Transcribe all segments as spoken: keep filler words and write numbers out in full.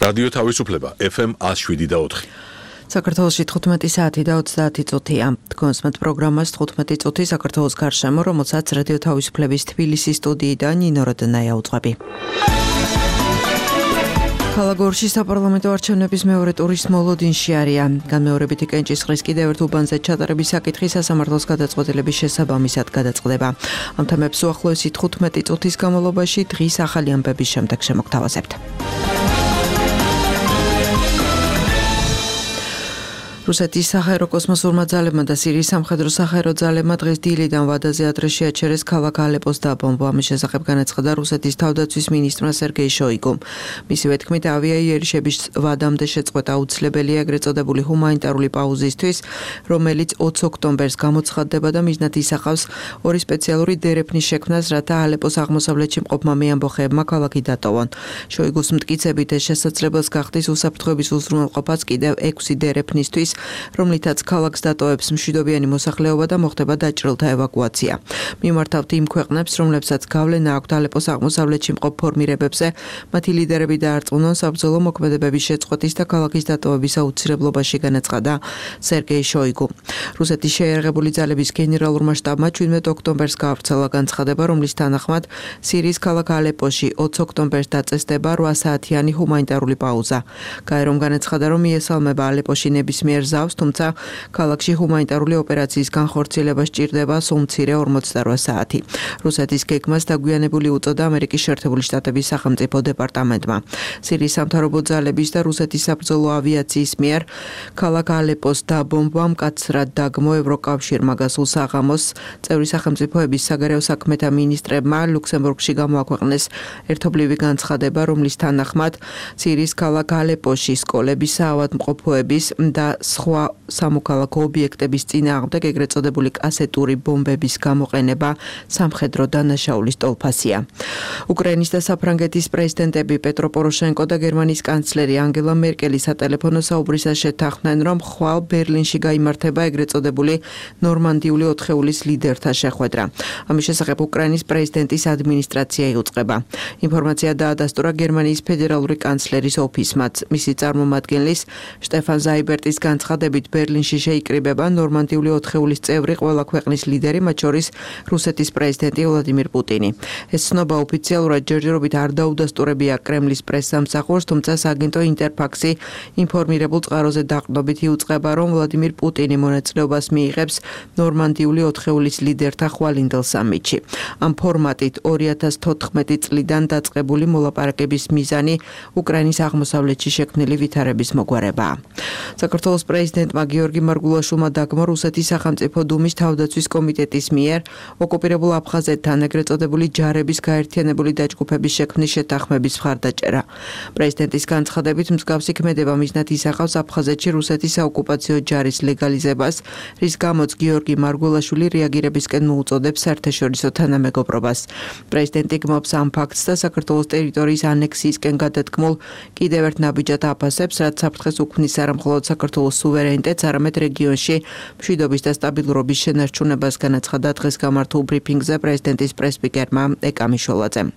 რადიო თავისუფლება ეფ ემ one oh seven და four. საქართველოში თხუთმეტი საათი და ოცდაათი წუთია. თქვენს მათ პროგრამას თხუთმეტი წუთი საქართველოს გარშემო, რომელსაც რადიო თავისუფლების თბილისის სტუდიიდან ნინო როდნაია უძღვები. ქალაქ გორში საპარლამენტო არჩევნების მეორე ტურის მოლოდინში არიან. განმეორებითი კენჭისყრის კიდევ ერთ უბანზე ჩატარების საკითხი სასამართლოს გადაწყვეტილების შესაბამისად გადაწყდება. ამ თემებს უახლოესი თხუთმეტი წუთის განმავლობაში დღის ახალი ამბების შემდეგ შემოგთავაზებთ. რუსეთის საჰაერო კოსმოსურმა ძალებმა და სირიის სამხედრო საჰაერო ძალებმა დღეს დილიდან ვადაზე ადრე შეაჩერეს ქალაქ ალეპოს დაბომბვა. ამის შესახებ განაცხადა რუსეთის თავდაცვის მინისტრმა სერგეი შოიგუმ. მისივე თქმით, ავიაიერიშების ვადამდე შეწყვეტა აუცილებელია ეგრეთ წოდებული ჰუმანიტარული პაუზისთვის, რომელიც ოცი ოქტომბერს გამოცხადდება და მიზნად ისახავს ორი სპეციალური დერეფნის შექმნას, რათა ალეპოს აღმოსავლეთში მყოფმა მეამბოხეებმა ქალაქი დატოვონ. შოიგუს მტკიცებით ეს შესაძლებელს გახდის უსაფრთხოების უზრუნველყოფაც კიდევ ექვსი დერეფნისთვის, რომლითაც ქალაქს დატოვებს მშვიდობიანი მოსახლეობა და მოხდება დაჭრილთა ევაკუაცია. მიმართავთ იმ ქვეყნებს, რომლებსაც გავლენა აქვთ ალეპოს აღმოსავლეთში მყოფ ფორმირებებზე, მათი ლიდერები დაარწმუნონ საბრძოლო მოქმედებების შეწყვეტის და ქალაქის დატოვების აუცილებლობაში, განაცხადა სერგეი შოიგუ. რუსეთის შეიარაღებული ძალების გენერალურმა შტაბმა შვიდმეტი ოქტომბერს გაავრცელა განცხადება, რომლის თანახმად სირიის ქალაქ ალეპოში ოცი ოქტომბერს დაწესდება რვა საათიანი ჰუმანიტარული პაუზა. გაერომ განაცხადა, რომ მიესალმება ალეპოში ნებისმიერ ზავს, თუმცა ქალაქში ჰუმანიტარული ოპერაციის განხორციელება სჭირდება სულ მცირე ორმოცდარვა საათი. რუსეთის გეგმას დაგვიანებული უწოდა ამერიკის შეერთებული შტატების სახელმწიფო დეპარტამენტმა. სირიის სამთავრობო ძალების და რუსეთის საბრძოლო ავიაციის მიერ ქალაქ ალეპოს დაბომბვა მკაცრად დაგმო ევროკავშირმა გასულ საღამოს წევრი სახელმწიფოების საგარეო საქმეთა მინისტრებმა ლუქსემბურგში გამოაქვეყნეს ერთობლივი განცხადება, რომლის თანახმად სირიის ქალაქ ალეპოში სკოლების, საავადმყოფოების და სხვა სამოქალაქო ობიექტების წინააღმდეგ ეგრეთ წოდებული კასეტური ბომბების გამოყენება სამხედრო დანაშაულის ტოლფასია. უკრაინის და საფრანგეთის პრეზიდენტები პეტრო პოროშენკო და გერმანიის კანცლერი ანგელა მერკელი სატელეფონო საუბრისას შეთანხმდნენ, რომ ხვალ ბერლინში გაიმართება ეგრეთ წოდებული ნორმანდიული ოთხეულის ლიდერთა შეხვედრა. ამის შესახებ უკრაინის პრეზიდენტის ადმინისტრაცია იუწყება. ინფორმაცია დაადასტურა გერმანიის ფედერალური კანცლერის ოფისმაც. მისი წარმომადგენლის შტეფან ზაიბერტის განცხადებით ბერლინში შეიკრიბება ნორმანდიული ოთხეულის წევრი ყველა ქვეყნის ლიდერი, მათ შორის რუსეთის პრეზიდენტი ვლადიმირ პუტინი. ეს ცნობა ოფიციალურად ჯერჯერობით არ დაუდასტურებია კრემლის პრესსამსახურს, თუმცა სააგენტო ინტერფაქსი ინფორმირებულ წყაროზე დაყრდნობით იუწყება, რომ ვლადიმირ პუტინი მონაწილეობას მიიღებს ნორმანდიული ოთხეულის ლიდერთა ხვალინდელ სამიტში. ამ ფორმატით ორი ათას თოთხმეტი წლიდან დაწყებული მოლაპარაკების მიზანი უკრაინის აღმოსავლეთში შექმნილი ვითარების მოგვარებაა. საქართველოს პრეზიდენტმა გიორგი მარგულაშვილმა დაგმო რუსეთის სახელმწიფო დუმის თავდაცვის კომიტეტის მიერ ოკუპირებულ აფხაზეთთან ეგრეთ წოდებული ჯარების გაერთიანებული დაჯგუფების შექმნის შეთანხმების მხარდაჭერა. პრეზიდენტის განცხადებით, მსგავსი ქმედება მიზნად ისახავს აფხაზეთში რუსეთის საოკუპაციო ჯარის ლეგალიზებას, რის გამოც გიორგი მარგულაშვილი რეაგირებისკენ მოუწოდებს საერთაშორისო თანამეგობრობას. პრეზიდენტი გმობს ამ ფაქტს და საქართველოს ტერიტორიის ანექსიისკენ გადადგმულ კიდევ ერთ ნაბიჯად აფასებს, რაც საფრთხეს უქმნის არა მხოლოდ საქართველოს სუვერენიტეტს, არამედ რეგიონში მშვიდობის და სტაბილურობის შენარჩუნებას, განაცხადა დღეს გამართულ ბრიფინგზე პრეზიდენტის პრესსპიკერმა ეკა მიშოლაძემ.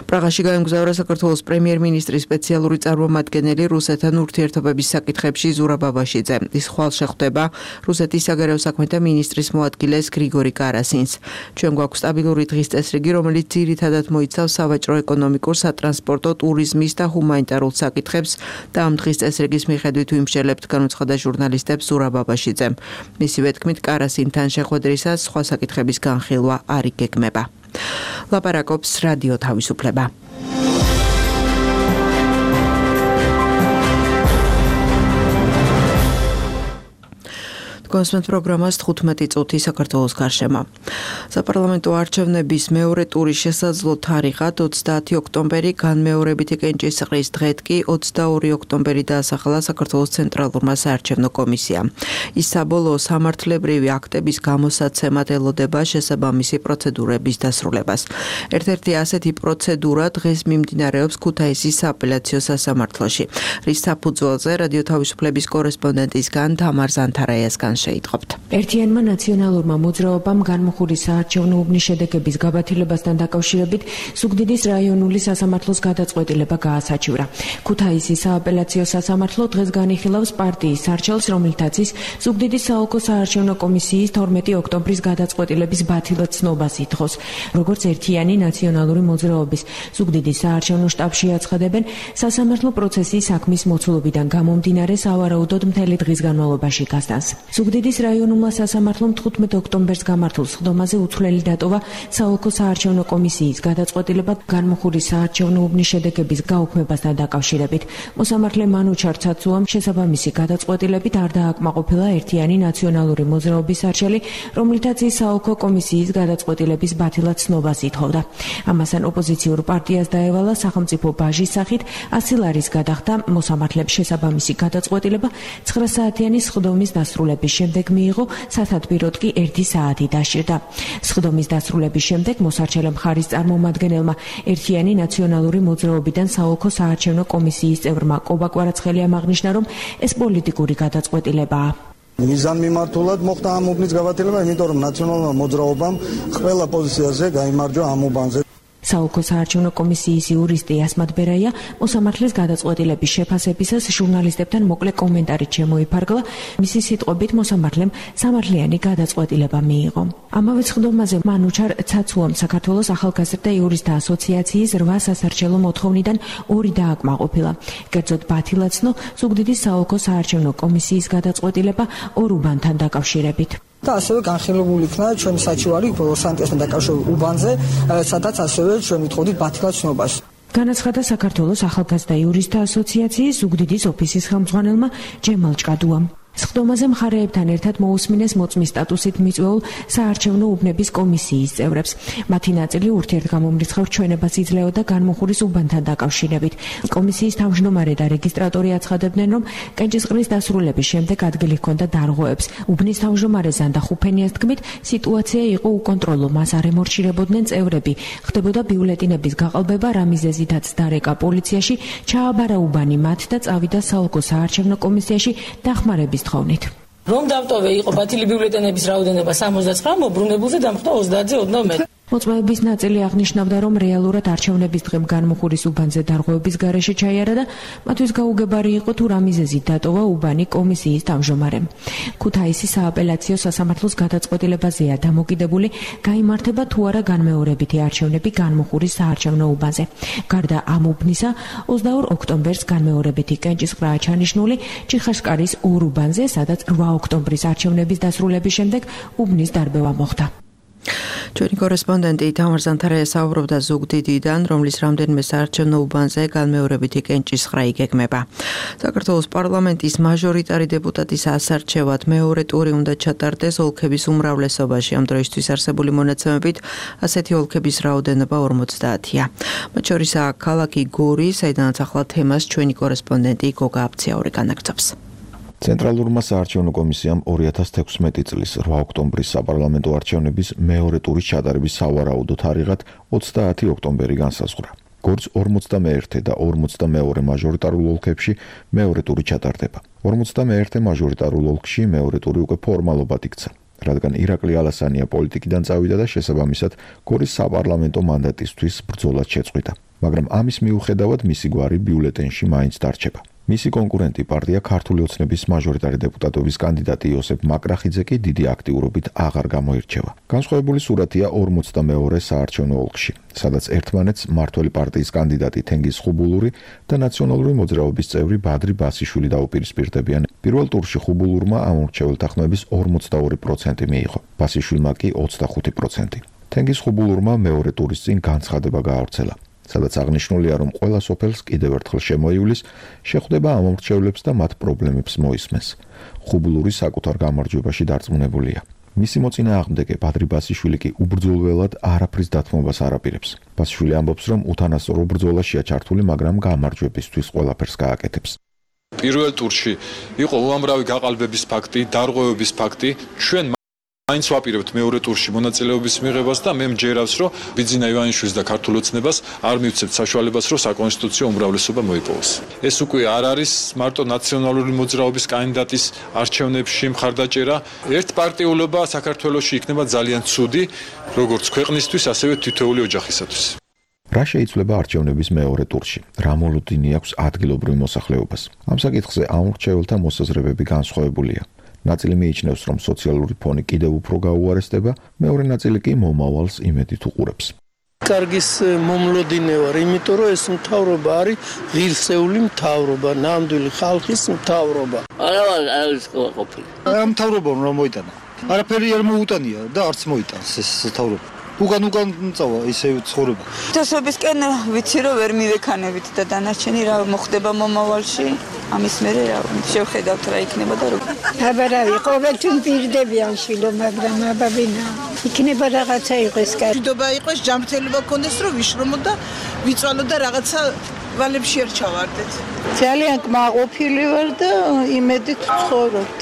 პრაღაში გაემგზავრა საქართველოს პრემიერ-მინისტრის სპეციალური წარმომადგენელი რუსეთთან ურთიერთობების საკითხებში ზურაბ აბაშიძე. ის ხვალ შეხვდება რუსეთის საგარეო საქმეთა მინისტრის მოადგილეს გრიგორი კარასინს. ჩვენ გვაქვს სტაბილური დღის წესრიგი, რომელიც ძირითადად მოიცავს სავაჭრო-ეკონომიკურ, სატრანსპორტო, ტურიზმის და ჰუმანიტარულ საკითხებს და ამ დღის წესრიგის მიხედვით ვიმსჯელებთ, განუცხადა ჟურნალისტებს ზურაბ აბაშიძემ. მისივე თქმით, კარასინთან შეხვედრისას სხვა საკითხების განხილვა არ იგეგმება. ლაპარაკობს რადიო თავისუფლება. კონსმეთ პროგრამას თხუთმეტი წუთი საქართველოს გარშემო. საპარლამენტო არჩევნების მეორე ტურის შესაძლო თარიღად ოცდაათი ოქტომბერი, განმეორებითი კენჭისყრის დღედ კი ოცდაორი ოქტომბერი დაასახელა საქართველოს ცენტრალურმა საარჩევნო კომისიამ. ის საბოლოო სამართლებრივი აქტების გამოსაცემად ელოდება შესაბამისი პროცედურების დასრულებას. ერთ-ერთი ასეთი პროცედურა დღეს მიმდინარეობს ქუთაისის სააპელაციო სასამართლოში, რის საფუძველზე რადიო თავისუფლების კორესპონდენტისგან თამარ ზანთარაიასგან მან შეიტყობთ. ერთიანმა ნაციონალურმა მოძრაობამ განმუხურის საარჩევნო უბნის შედეგების გაბათილებასთან დაკავშირებით ზუგდიდის რაიონული სასამართლოს გადაწყვეტილება გაასაჩივრა. ქუთაისის სააპელაციო სასამართლო დღეს განიხილავს პარტიის სარჩელს, რომელთაც ის ზუგდიდის საოლქო საარჩევნო კომისიის თორმეტი ოქტომბრის გადაწყვეტილების ბათილად ცნობას ითხოვს. როგორც ერთიანი ნაციონალური მოძრაობის ზუგდიდის საარჩევნო შტაბში აცხადებენ, სასამართლო პროცესი საქმის მოცულობიდან გამომდინარე სავარაუდოდ მთელი დღის განმავლობაში გასტანს. ზუგდიდის რაიონულმა სასამართლომ თხუთმეტ ოქტომბერს გამართულ სხდომაზე უცვლელი დატოვა საოლქო საარჩევნო კომისიის გადაწყვეტილება განმუხურის საარჩევნო უბნის შედეგების გაუქმებასთან დაკავშირებით. მოსამართლე მანუჩარ ცაცუამ შესაბამისი გადაწყვეტილებით არ დააკმაყოფილა ერთიანი ნაციონალური მოძრაობის არჩელი, რომლითაც ის საოლქო კომისიის გადაწყვეტილების ბათილად ცნობას ითხოვდა. ამასთან ოპოზიციურ პარტიას დაევალა სახელმწიფო ბაჟის სახით ასი ლარის გადახდა. მოსამართლემ შესაბამისი გადაწყვეტილება ცხრა საათიანი სხდომის დასრულების შემდეგ მიიღო, სათადბიროდ კი ერთი საათი დასჭირდა. სხდომის დასრულების შემდეგ მოსარჩელე მხარის წარმომადგენელმა ერთიანი ნაციონალური მოძრაობიდან საოლქო საარჩევნო კომისიის წევრმა კობა კვარაცხელიამ აღნიშნა, რომ ეს პოლიტიკური გადაწყვეტილებაა. მიზანმიმართულად მოხდა ამ უბნის გავათილება, იმიტომ რომ ნაციონალურმა მოძრაობამ ყველა პოზიციაზე გაიმარჯვა ამ უბანზე. საოლქო საარჩევნო კომისიის იურისტი ასმად ბერაია მოსამართლეს გადაწყვეტილების შეფასებისას ჟურნალისტებთან მოკლე კომენტარით შემოიფარგლა. მისი სიტყვებით მოსამართლემ სამართლიანი გადაწყვეტილება მიიღო. ამავე სხდომაზე მანუჩარ ცაცუამ საქართველოს ახალგაზრდა იურისტთა ასოციაციის რვა სასარჩელო მოთხოვნიდან ორი დააკმაყოფილა. კერძოდ ბათილად ცნო ზუგდიდის საოლქო საარჩევნო კომისიის გადაწყვეტილება ორ უბანთან დაკავშირებით. და ასევე განხილებული იქნა ჩვენი საჩივარი სანტიასთან დაკავშირებულ უბანზე, სადაც ასევე ჩვენ ვითხოვდით ბათილად ცნობას. განაცხადა საქართველოს ახალგაზრდა იურისტთა ასოციაციის ზუგდიდის ოფისის ხელმძღვანელმა ჯემალ ჭკადუამ. სხდომაზე მხარეებთან ერთად მოусმინეს მოწმის სტატუსით მიწვეულ საარჩევნო უბნების კომისიის წევრებს. მათი ნაწილი ურთიერთგამომრიცხავ ჩვენებას იძლეოდა განმუხურის უბანთან დაკავშირებით. კომისიის თავმჯდომარე და რეგისტრატორი აცხადებდნენ, რომ კენჭისყრის დასრულების შემდეგ ადგილი ჰქონდა დარღვევებს. უბნის თავმჯდომარე ზანდა ხუფენიას თქმით, სიტუაცია იყო უკონტროლო, მას არ ემორჩილებოდნენ წევრები. ხდებოდა ბიულეტინების გაყალბება, რა მიზეზითაც დარეკა პოლიციაში, ჩააბარა უბანი მათ და წავიდა საოლქო საარჩევნო კომისიაში დახმარების რომ დავტოვე იყო ბათილი ბიულეტენების რაოდენობა სამოცდაცხრა, მობრუნებულზე დამხვდა ოცდაათზე ოცდამეტი. მოწმეების ნაწილი აღნიშნავდა, რომ რეალურად არჩევნების დღემ განმუხურის უბანზე დარღვევების გარეშე ჩაიარა და მათთვის გაუგებარი იყო თუ რა მიზეზით დატოვა უბანი კომისიის თავმჯდომარემ. ქუთაისის სააპელაციო სასამართლოს გადაწყვეტილებაზეა დამოკიდებული, გაიმართება თუ არა განმეორებითი არჩევნები განმუხურის საარჩევნო უბანზე. გარდა ამ უბნისა, ოცდაორ ოქტომბერს განმეორებითი კენჭისყრაა ჩანიშნული ჩიხაშკარის ორ უბანზე, სადაც რვა ოქტომბრის არჩევნების დასრულების შემდეგ უბნის დარბევა მოხდა. ჩვენი კორესპონდენტი თამარ ზანთარაია საუბრობდა ზუგდიდიდან, რომლის რამდენიმე საარჩევნო უბანზე განმეორებითი კენჭისყრა იგეგმება. საქართველოს პარლამენტის მაჟორიტარი დეპუტატის ასარჩევად მეორე ტური უნდა ჩატარდეს ოლქების უმრავლესობაში. ამ დროისთვის არსებული მონაცემებით ასეთი ოლქების რაოდენობა ორმოცდაათია. მათ შორისაა ქალაქი გორი, საიდანაც ახლა თემას ჩვენი კორესპონდენტი გოგა აბციაური განაგრძობს. ცენტრალურმა საარჩევნო კომისიამ ორი ათას თექვსმეტი წლის რვა ოქტომბრის საპარლამენტო არჩევნების მეორე ტურის ჩატარების სავარაუდო თარიღად ოცდაათი ოქტომბერი განსაზღვრა. გორს ორმოცდამეერთე და ორმოცდამეორე მაჟორიტარულ ოლქებში მეორე ტური ჩატარდება. ორმოცდამეერთე მაჟორიტარულ ოლქში მეორე ტური უკვე ფორმალობად იქცა, რადგან ირაკლი ალასანია პოლიტიკიდან წავიდა და შესაბამისად გორის საპარლამენტო მანდატისთვის ბრძოლად შეწყვიტა. მაგრამ ამის მიუხედავად მისი გვარი ბიულეტენში მაინც დარჩება. მისი კონკურენტი პარტია ქართული ოცნების მაჟორიტარი დეპუტატობის კანდიდატი იოსებ მაკრახიძე კი დიდი აქტიურობით აღარ გამოირჩევა. განსხვავებული სურათია ორმოცდამეორე საარჩევნო ოლქში, სადაც ერთმანეთს მართველი პარტიის კანდიდატი თენგიზ ხუბულური და ნაციონალური მოძრაობის წევრი ბადრი ბასიშვილი დაუპირისპირდებიან. პირველ ტურში ხუბულურმა ამ მრჩეველთა ხმების ორმოცდაორი პროცენტი მიიღო, ბასიშვილმა კი ოცდახუთი პროცენტი. თენგიზ ხუბულურმა მეორე ტურის წინ განცხადება გაავრცელა, სადაც აღნიშნულია, რომ ყველა სოფელს კიდევ ერთხელ შემოივლის, შეხვდება ამ მრჩევლებს და მათ პრობლემებს მოისმენს. ხუბულური საკუთარ გამარჯვებაში დარწმუნებულია. მისი მოწინააღმდეგე ბადრი ბასიშვილი კი უბრძოლველად არაფრის დათმობას არ აპირებს. ბასიშვილი ამბობს, რომ უთანასწორო ბრძოლაშია ჩართული, მაგრამ გამარჯვებისთვის ყველაფერს გააკეთებს. პირველ ტურში იყო უამრავი გაყალბების ფაქტი, დარღვევების ფაქტი. ჩვენ აინც ვაპირებთ მეორე ტურში მონაწილეობის მიღებას და მე მჯერავს, რომ ბიძინა ივანიშვილის და ქართულ ოცნებას არ მივცემთ საშუალებას, რომ საკონსტიტუციო უმრავლესობა მოიპოვოს. ეს უკვე არ არის მარტო ნაციონალური მოძრაობის კანდიდატის არჩევნებში მხარდაჭერა. ერთპარტიულობა საქართველოში იქნება ძალიან ცუდი, როგორც ქვეყნისთვის, ასევე თითოეული ოჯახისათვის. რა შეიცვლება არჩევნების მეორე ტურში? რა მოლოდინი აქვს ადგილობრივ მოსახლეობას? ამ საკითხზე ამორჩეველთა მოსაზრებები განსხვავებულია. ნაწილი მიიჩნევს, რომ სოციალური ფონი კიდევ უფრო გაუარესდება, მეორე ნაწილი კი მომავალს იმედით უყურებს. კარგის მომლოდინე ვარ, იმიტომ რომ ეს მთავრობა არის ღირსეული მთავრობა, ნამდვილი ხალხის მთავრობა. არა, არის ყოფილი. ამ მთავრობამ რა მოიტანა? არაფერი არ მოუტანია და არც მოიტანს ეს მთავრობა. უკან უკან წავა ისე ცხოვრება. თესობისკენ ვიცი რომ ვერ მივექანებით და დანარჩენი რა მოხდება მომავალში, ამის მერე რა შევხედავთ რა იქნება და როგორ. აბარავი, ყოველთვის პირდებიან შილო, მაგრამ აბაბინა იქნება რაღაცა იყოს კარგი. მშვიდობა იყოს, ჯანმრთელობა გქონდეს, რომ ვიშრომო და ვიწვალო და რაღაცა ვალებში არ ჩავარდეთ. ძალიან კმაყოფილი ვარ და იმედით ვცხოვრობთ.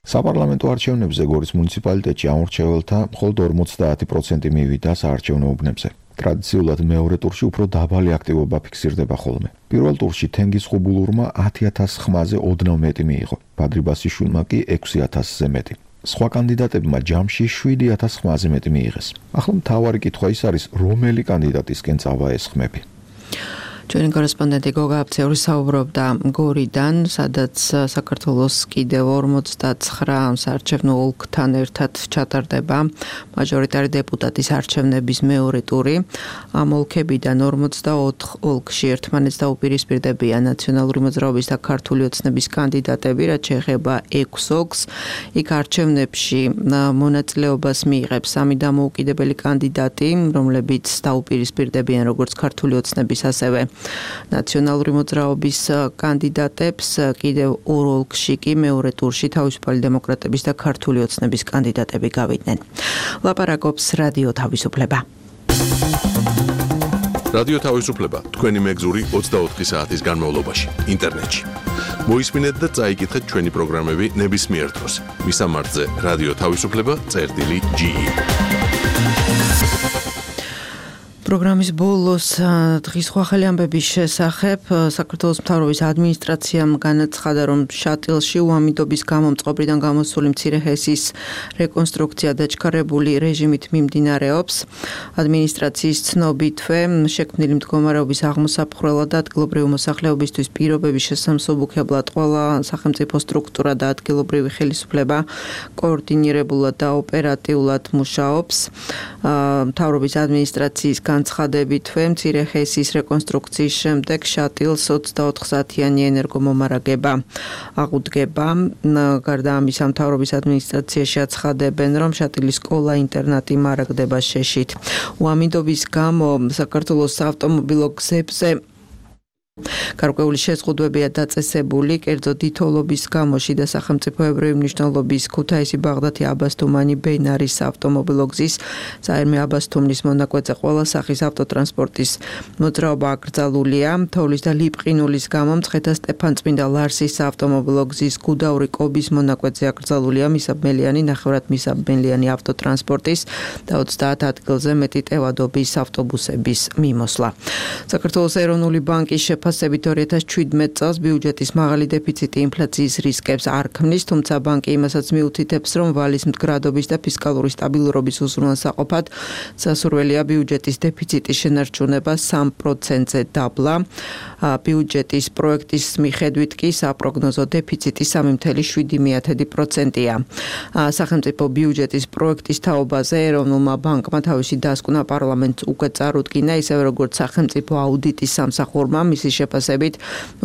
საპარლამენტო არჩევნებზე გორის მუნიციპალიტეტში ამორჩეველთა მხოლოდ ორმოცდაათი პროცენტი მივიდა საარჩევნო უბნებზე. ტრადიციულად მეორე ტურში უფრო დაბალი აქტივობა ფიქსირდება ხოლმე. პირველ ტურში თენგიზ ხუბულურმა ათი ათას ხმაზე ოდნავ მეტი მიიღო, ბადრი ბასიშვილმა კი ექვსი ათასზე მეტი. სხვა კანდიდატებმა ჯამში შვიდი ათას ხმაზე მეტი მიიღეს. ახლა მთავარი კითხვა ის არის, რომელი კანდიდატისკენ წავა ეს ხმები. ჩვენი კორესპონდენტი გოგა აფცეული საუბრობდა გორიდან, სადაც საქართველოს კიდევ ორმოცდაცხრა საარჩევნო ოლქთან ერთად ჩატარდება მაჟორიტარი დეპუტატის არჩევნების მეორე ტური. ამ ოლქებიდან ორმოცდაოთხ ოლქში ერთმანეთს დაუპირისპირდებიან ნაციონალური მოძრაობის და ქართული ოცნების კანდიდატები, რაც შეეხება ექვს ოლქს. იქ არჩევნებში მონაწილეობას მიიღებს სამი დამოუკიდებელი კანდიდატი, რომლებიც დაუპირისპირდებიან როგორც ქართული ოცნების, ასევე ნაციონალური მოძრაობის კანდიდატებს. კიდევ ორ ოლქში კი მეორე ტურში თავისუფალი დემოკრატების და ქართული ოცნების კანდიდატები გავიდნენ. ლაპარაკობს რადიო თავისუფლება. რადიო თავისუფლება თქვენი მეგზური ოცდაოთხი საათის განმავლობაში ინტერნეტში. მოისმინეთ და წაიკითხეთ ჩვენი პროგრამები ნებისმიერ დროს. მისამართზე რადიო თავისუფლება წერტილი ჯი ი. პროგრამის ბოლოს დღის ხვალ ამბების შესახებ საქართველოს მთავრობის ადმინისტრაციამ განაცხადა, რომ შატილში უამიდობის გამო მწყობრიდან გამოსული მცირე ჰესის რეკონსტრუქცია დაჩქარებული რეჟიმით მიმდინარეობს. ადმინისტრაციის ცნობითვე შექმნილი მდგომარეობის აღმოსაფხვრელად და ადგილობრივი მოსახლეობისთვის პირობების შესამსუბუქებლად ყველა სახელმწიფო სტრუქტურა და ადგილობრივი ხელისუფლება კოორდინირებულად და ოპერატიულად მუშაობს. მთავრობის ადმინისტრაციის განცხადებითვე მცირე ჰესის რეკონსტრუქციის შემდეგ შატილს ოცდაოთხ საათიანი ენერგომომარაგება აღუდგება. გარდა ამისა, მთავრობის ადმინისტრაციაში აცხადებენ, რომ შატილის სკოლა-ინტერნატი მარაგდება შეშით. უამიდობის გამო საქართველოს საავტომობილო გზებზე გარკვეული შეზღუდვებია დაწესებული, კერძო დიდთოვლობის გამო შიდა სახელმწიფოებრივი მნიშვნელობის ქუთაისი ბაღდათი აბასთუმანი ბენარის ავტომობილო გზის საერმე აბასთუმნის მონაკვეთზე ყველა სახის ავტოტრანსპორტის მოძრაობა აკრძალულია. თოვლის და ლიპყინულის გამო მცხეთა სტეფანწმინდა ლარსის ავტომობილო გზის გუდაური კობის მონაკვეთზე აკრძალულია მისაბმელიანი, ნახევრად მისაბმელიანი ავტოტრანსპორტის და ოცდაათ ადგილზე მეტი ტევადობის ავტობუსების მიმოსვლა. საქართველოს ეროვნული ბანკის ფასებით ორი ათას შვიდმეტ წელს ბიუჯეტის მაღალი დეფიციტი ინფლაციის რისკებს არ ქმნის, თუმცა ბანკი იმასაც მიუთითებს, რომ ვალის მდგრადობის და ფისკალური სტაბილურობის უზრუნველსაყოფად სასურველია ბიუჯეტის დეფიციტის შენარჩუნება სამ პროცენტზე დაბლა. ბიუჯეტის პროექტის მიხედვით კი საპროგნოზო დეფიციტი სამი ათეული შვიდი პროცენტია. სახელმწიფო ბიუჯეტის პროექტის თაობაზე ეროვნულმა ბანკმა თავისი დასკვნა პარლამენტს უკვე წარუდგინა, ისევე როგორც სახელმწიფო აუდიტის სამსახურმა მისი შეფასებით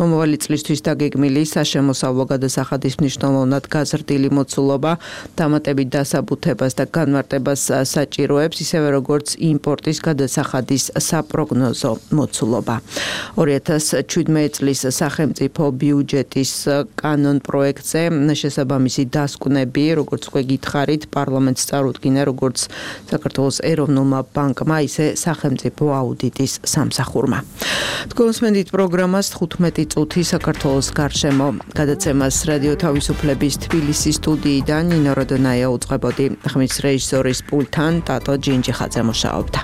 მომავალი წლისთვის დაგეგმილი საშემოსავლო გადასახადის მნიშვნელოვნად გაზრდილი მოცულობა დამატებით დასაბუთებას და განმარტებას საჭიროებს, ისევე როგორც იმპორტის გადასახადის საპროგნოზო მოცულობა. ორი ათას შვიდმეტ წლის სახელმწიფო ბიუჯეტის კანონ პროექტზე შესაბამისი დასკვნები, როგორც უკვე გითხარით, პარლამენტს წარუდგინა როგორც საქართველოს ეროვნულმა ბანკმა, ისე სახელმწიფო აუდიტის სამსახურმა. თქვენს მენდით პროგრამას თხუთმეტი წუთი საქართველოს გარშემო. გადაცემას რადიო თავისუფლების თბილისის სტუდიიდან ნინო როდონაია უწყებოდი. ხმის რეჟისორის პულტთან ტატო ჯინჯიხაძე მუშაობდა.